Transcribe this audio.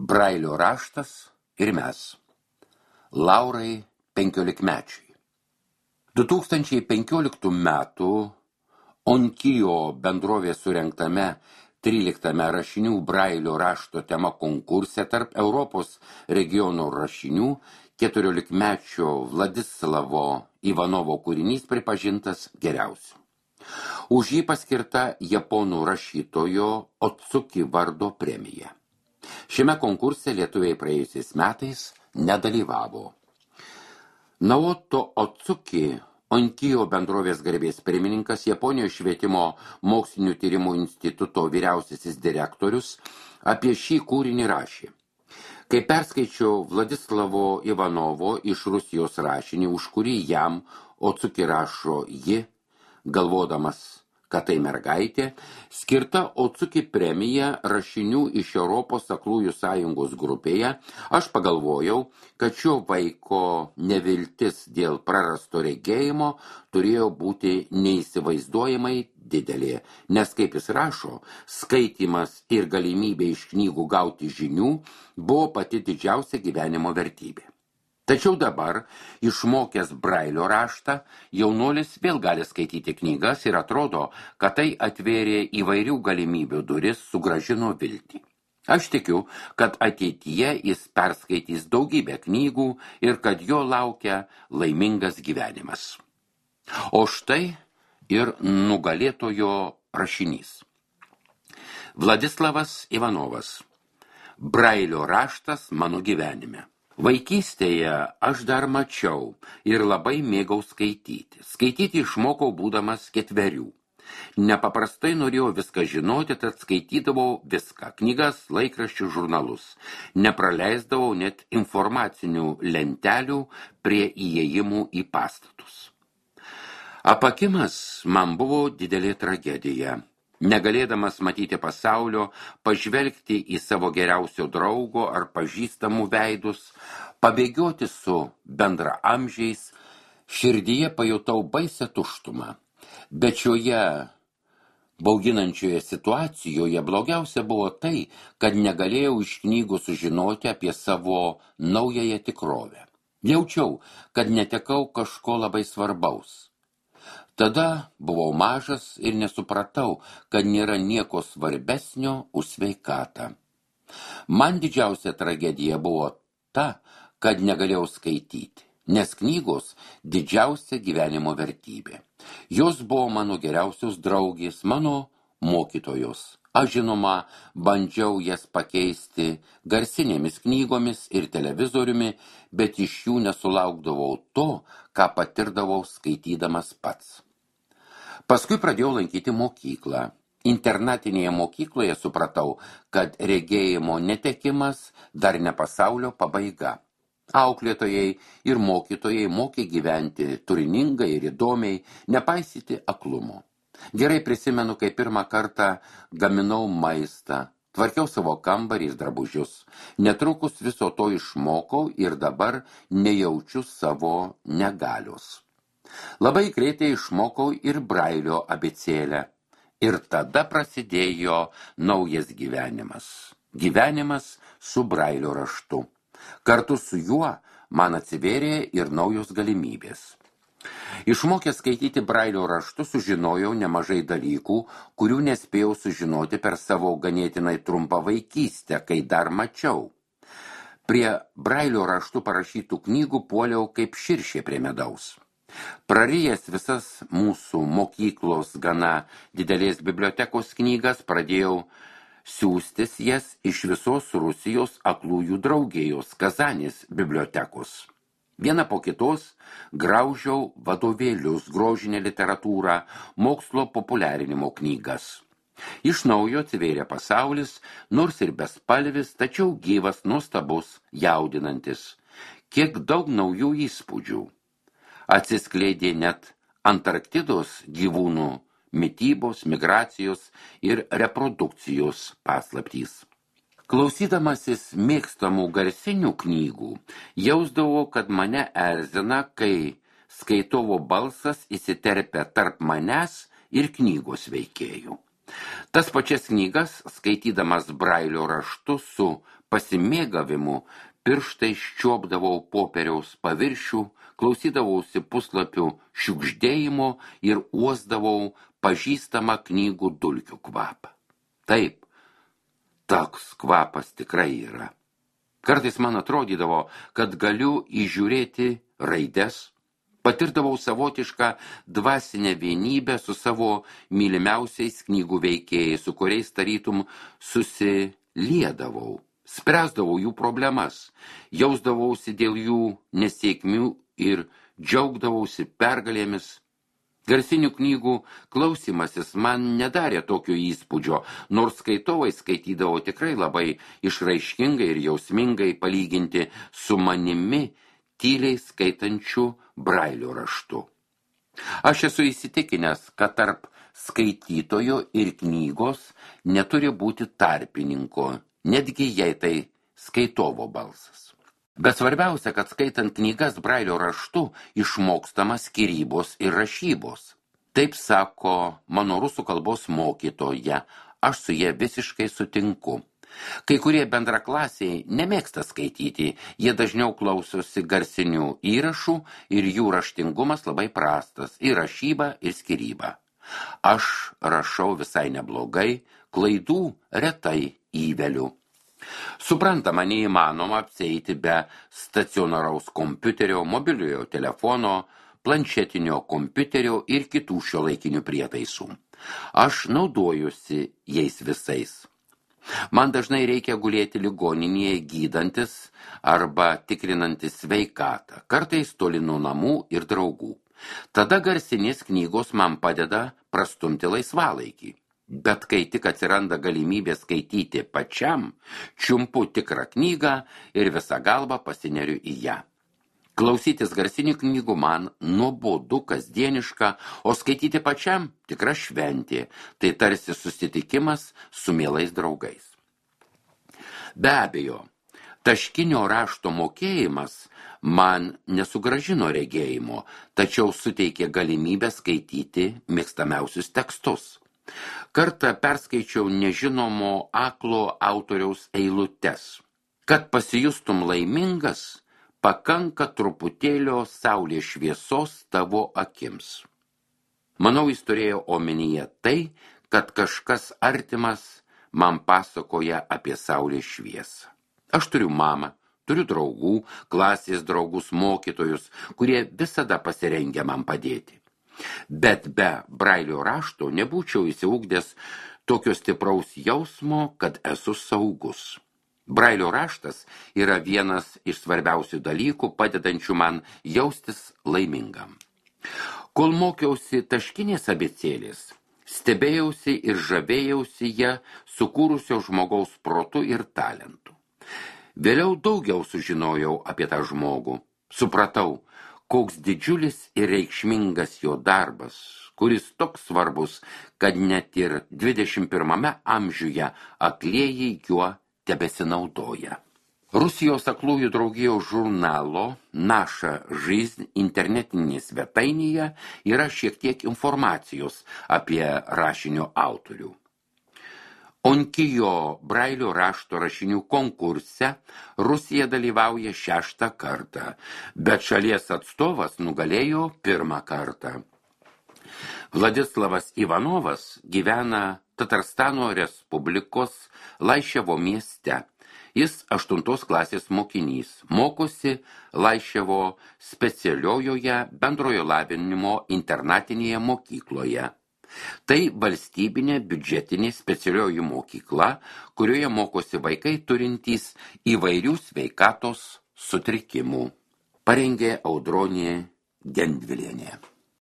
Brailio raštas ir mes. Laurai 15-mečiai. 2015 metų Onkijo bendrovės surengtame 13 rašinių Brailio rašto tema konkurse tarp Europos regionų rašinių 14-mečio Vladislavo Ivanovo kūrinys pripažintas geriausiu. Už jį paskirta japonų rašytojo Otsuki vardo premija. Šiame konkurse lietuviai praėjusiais metais nedalyvavo. Naoto Otsuki, Onkijo bendrovės garbės pirmininkas, Japonijos švietimo mokslinių tyrimų instituto vyriausiasis direktorius, apie šį kūrinį rašė. Kai perskaičiau Vladislavo Ivanovo iš Rusijos rašinį, už kurį jam Otsuki rašo ji, galvodamas, kad tai mergaitė, skirta Otsuki premija rašinių iš Europos aklųjų sąjungos grupėje, aš pagalvojau, kad šio vaiko neviltis dėl prarasto regėjimo turėjo būti neįsivaizduojamai didelė, nes, kaip jis rašo, skaitymas ir galimybė iš knygų gauti žinių buvo pati didžiausia gyvenimo vertybė. Tačiau dabar, išmokęs Brailio raštą, jaunuolis vėl gali skaityti knygas ir atrodo, kad tai atvėrė įvairių galimybių duris, sugrąžino viltį. Aš tikiu, kad ateityje jis perskaitys daugybę knygų ir kad jo laukia laimingas gyvenimas. O štai ir nugalėtojo rašinys. Vladislavas Ivanovas. Brailio raštas mano gyvenime. Vaikystėje aš dar mačiau ir labai mėgau skaityti. Skaityti išmokau būdamas 4. Nepaprastai norėjau viską žinoti, tad skaitydavau viską – knygas, laikraščių, žurnalus. Nepraleisdavau net informacinių lentelių prie įėjimų į pastatus. Apakimas man buvo didelė tragedija. Negalėdamas matyti pasaulio, pažvelgti į savo geriausio draugo ar pažįstamų veidus, pabėgioti su bendraamžiais, širdyje pajutau baisią tuštumą. Bet šioje bauginančioje situacijoje blogiausia buvo tai, kad negalėjau iš knygų sužinoti apie savo naująją tikrovę. Jaučiau, kad netekau kažko labai svarbaus. Tada buvau mažas ir nesupratau, kad nėra nieko svarbesnio už sveikatą. Man didžiausia tragedija buvo ta, kad negalėjau skaityti, nes knygos didžiausia gyvenimo vertybė. Jos buvo mano geriausios draugės, mano mokytojos. Aš žinoma, bandžiau jas pakeisti garsinėmis knygomis ir televizoriumi, bet iš jų nesulaukdavau to, ką patirdavau skaitydamas pats. Paskui pradėjau lankyti mokyklą. Internatinėje mokykloje supratau, kad regėjimo netekimas dar ne pasaulio pabaiga. Auklėtojai ir mokytojai mokė gyventi turiningai ir įdomiai, nepaisyti aklumo. Gerai prisimenu, kai pirmą kartą gaminau maistą, tvarkiau savo kambarį ir drabužius. Netrukus viso to išmokau ir dabar nejaučiu savo negalios. Labai greitai išmokau ir Brailio abėcėlę. Ir tada prasidėjo naujas gyvenimas. Gyvenimas su Brailio raštu. Kartu su juo man atsivėrė ir naujos galimybės. Išmokęs skaityti Brailio raštu sužinojau nemažai dalykų, kurių nespėjau sužinoti per savo ganėtinai trumpą vaikystę, kai dar mačiau. Prie Brailio raštu parašytų knygų puoliau kaip širšė prie medaus. Prarijęs visas mūsų mokyklos gana didelės bibliotekos knygas, pradėjau siųstis jas iš visos Rusijos aklųjų draugijos Kazanės bibliotekos. Vieną po kitos graužiau vadovėlius, grožinę literatūrą, mokslo populiarinimo knygas. Iš naujo atsivėrė pasaulis, nors ir bespalvis, tačiau gyvas, nuostabus, jaudinantis. Kiek daug naujų įspūdžių. Atsiskleidė net Antarktidos gyvūnų mitybos, migracijos ir reprodukcijos paslaptys. Klausydamasis mėgstamų garsinių knygų, jausdavau, kad mane erzina, kai skaitovo balsas įsiterpia tarp manęs ir knygos veikėjų. Tas pačias knygas, skaitydamas Brailio raštu su pasimėgavimu pirštai ščiuopdavau popieriaus paviršių, klausydavausi puslapių šiugždėjimo ir uosdavau pažįstamą knygų dulkių kvapą. Taip, toks kvapas tikrai yra. Kartais man atrodydavo, kad galiu įžiūrėti raides, patirdavau savotišką dvasinę vienybę su savo mylimiausiais knygų veikėjais, su kuriais tarytum susiliedavau, spręsdavau jų problemas, jausdavausi dėl jų nesėkmių ir džiaugdavausi pergalėmis. Garsinių knygų klausymasis man nedarė tokio įspūdžio, nors skaitovai skaitydavo tikrai labai išraiškingai ir jausmingai palyginti su manimi tyliai skaitančiu Brailio raštu. Aš esu įsitikinęs, kad tarp skaitytojo ir knygos neturi būti tarpininko, netgi jei tai skaitovo balsas. Bet svarbiausia, kad skaitant knygas Brailio raštu išmokstama skyrybos ir rašybos. Taip sako mano rusų kalbos mokytoja, aš su ja visiškai sutinku. Kai kurie bendraklasiai nemėgsta skaityti, jie dažniau klausosi garsinių įrašų ir jų raštingumas labai prastas, ir rašyba, ir skyryba. Aš rašau visai neblogai, klaidų retai įveliu. Suprantama, neįmanoma apsieiti be stacionaraus kompiuterio, mobiliojo telefono, planšetinio kompiuterio ir kitų šiuolaikinių prietaisų. Aš naudojusi jais visais. Man dažnai reikia gulėti ligoninėje gydantis arba tikrinantis sveikatą, kartais toli nuo namų ir draugų. Tada garsinės knygos man padeda prastumti laisvalaikį. Bet kai tik atsiranda galimybė skaityti pačiam, čiumpu tikrą knygą ir visą galvą pasineriu į ją. Klausytis garsinių knygų man nuobodu, kasdieniška, o skaityti pačiam tikra šventė, tai tarsi susitikimas su mielais draugais. Be abejo, taškinio rašto mokėjimas man nesugražino regėjimo, tačiau suteikė galimybę skaityti mėgstamiausius tekstus. Kartą perskaičiau nežinomo aklo autoriaus eilutes. Kad pasijustum laimingas, pakanka truputėlio saulės šviesos tavo akims. Manau, jis turėjo omenyje tai, kad kažkas artimas man pasakoja apie saulės šviesą. Aš turiu mamą, turiu draugų, klasės draugus, mokytojus, kurie visada pasirengę man padėti. Bet be Brailio rašto nebūčiau įsiugdęs tokio stipraus jausmo, kad esu saugus. Brailio raštas yra vienas iš svarbiausių dalykų, padedančių man jaustis laimingam. Kol mokiausi taškinės abėcėlės, stebėjausi ir žavėjausi ją sukūrusio žmogaus protu ir talentu. Vėliau daugiau sužinojau apie tą žmogų. Supratau, koks didžiulis ir reikšmingas jo darbas, kuris toks svarbus, kad net ir 21 amžiuje aklieji juo tebesinaudoja. Rusijos aklųjų draugijos žurnalo Naša Жизнь internetinėje svetainėje yra šiek tiek informacijos apie rašinio autorių. Onkijo Brailio rašto rašinių konkurse Rusija dalyvauja 6 kartą, bet šalies atstovas nugalėjo 1 kartą. Vladislavas Ivanovas gyvena Tatarstano Respublikos Laiševo mieste. Jis 8 klasės mokinys, mokosi Laiševo specialiojoje bendrojo lavinimo internatinėje mokykloje. Tai valstybinė biudžetinė specialioji mokykla, kurioje mokosi vaikai turintys įvairių sveikatos sutrikimų. Parengė Audronė Gendvilienė.